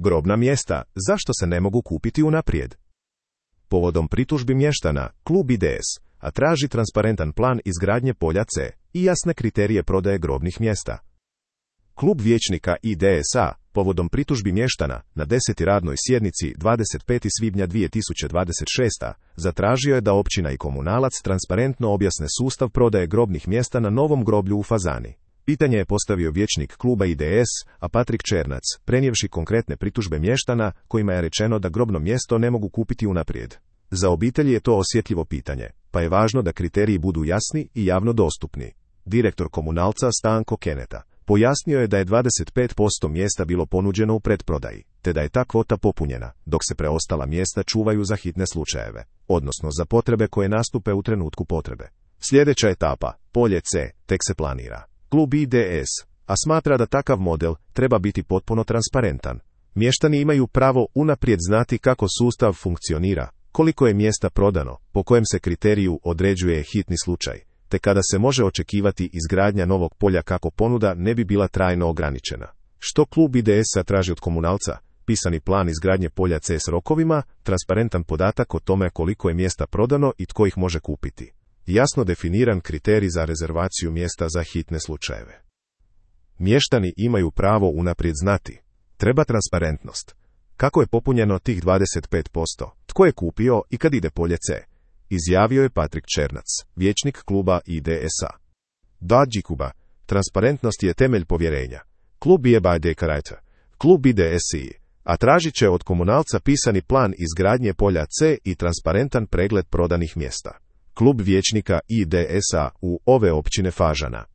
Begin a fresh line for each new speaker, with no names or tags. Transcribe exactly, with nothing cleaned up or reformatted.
Grobna mjesta, zašto se ne mogu kupiti unaprijed? Povodom pritužbi mještana, klub I D S, a traži transparentan plan izgradnje polja C i jasne kriterije prodaje grobnih mjesta. Klub vijećnika I D S A, povodom pritužbi mještana, na desetoj radnoj sjednici dvadeset petog svibnja dvije tisuće dvadeset šeste. zatražio je da općina i komunalac transparentno objasne sustav prodaje grobnih mjesta na novom groblju u Fazani. Pitanje je postavio vijećnik kluba I D S, a Patrik Černac, prenijevši konkretne pritužbe mještana, kojima je rečeno da grobno mjesto ne mogu kupiti unaprijed. Za obitelji je to osjetljivo pitanje, pa je važno da kriteriji budu jasni i javno dostupni. Direktor komunalca Stanko Keneta pojasnio je da je dvadeset pet posto mjesta bilo ponuđeno u pretprodaji, te da je ta kvota popunjena, dok se preostala mjesta čuvaju za hitne slučajeve, odnosno za potrebe koje nastupe u trenutku potrebe. Sljedeća etapa, polje C, tek se planira. Klub I D S, a smatra da takav model treba biti potpuno transparentan. Mještani imaju pravo unaprijed znati kako sustav funkcionira, koliko je mjesta prodano, po kojem se kriteriju određuje hitni slučaj, te kada se može očekivati izgradnja novog polja kako ponuda ne bi bila trajno ograničena. Što klub I D S-a traži od komunalca? Pisani plan izgradnje polja C s rokovima, transparentan podatak o tome koliko je mjesta prodano i tko ih može kupiti. Jasno definiran kriterij za rezervaciju mjesta za hitne slučajeve. Mještani imaju pravo unaprijed znati. Treba transparentnost. Kako je popunjeno tih dvadeset pet posto? Tko je kupio i kad ide polje C? Izjavio je Patrik Černac, vijećnik kluba I D S A. Da, Đikuba, transparentnost je temelj povjerenja. Klub je by dekarajta. Klub I D S I, a tražit će od komunalca pisani plan izgradnje polja C i transparentan pregled prodanih mjesta. Klub vijećnika I D S A u ove općine Fažana.